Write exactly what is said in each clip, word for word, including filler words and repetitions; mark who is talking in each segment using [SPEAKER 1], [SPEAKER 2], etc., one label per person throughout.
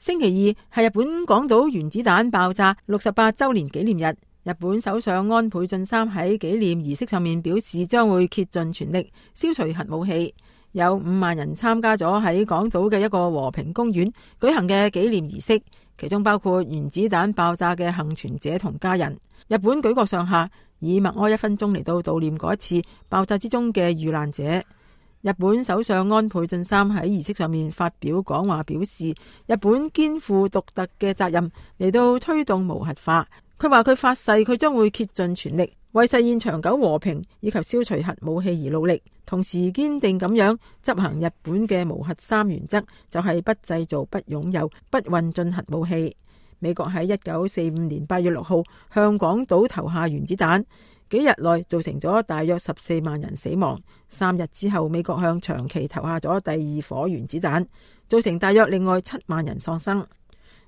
[SPEAKER 1] 星期二係日本廣島原子彈爆炸六十八週年紀念日。日本首相安倍晉三喺紀念儀式上面表示，將會竭盡全力消除核武器。有五萬人參加咗喺廣島嘅一個和平公園舉行嘅紀念儀式，其中包括原子彈爆炸嘅幸存者同家人。日本舉國上下以默哀一分鐘嚟到悼念嗰一次爆炸之中嘅遇難者。日本首相安倍晉三喺儀式上面發表講話，表示日本肩負獨特嘅責任嚟到推動無核化。佢話佢發誓，佢將會竭盡全力為實現長久和平以及消除核武器而努力，同時堅定咁樣執行日本嘅無核三原則，就係不製造、不擁有、不運進核武器。美國喺一九四五年八月六號向廣島投下原子彈，幾日內造成咗大約十四萬人死亡。三日之後，美國向長崎投下咗第二顆原子彈，造成大約另外七萬人喪生。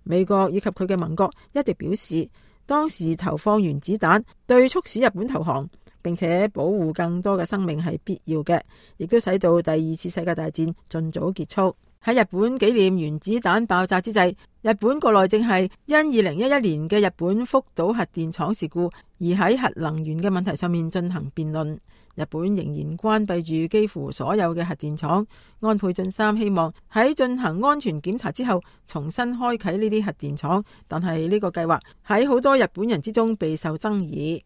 [SPEAKER 1] 美國以及佢嘅盟國一直表示，當時投放原子彈對促使日本投降並且保護更多嘅生命係必要嘅，亦都使到第二次世界大戰盡早結束。喺日本紀念原子彈爆炸之際，日本國內正係因二零一一年嘅日本福島核電廠事故而喺核能源嘅問題上面進行辯論。日本仍然關閉住幾乎所有嘅核電廠。安倍晉三希望喺進行安全檢查之後重新開啟呢啲核電廠，但係呢個計劃喺好多日本人之中備受爭議。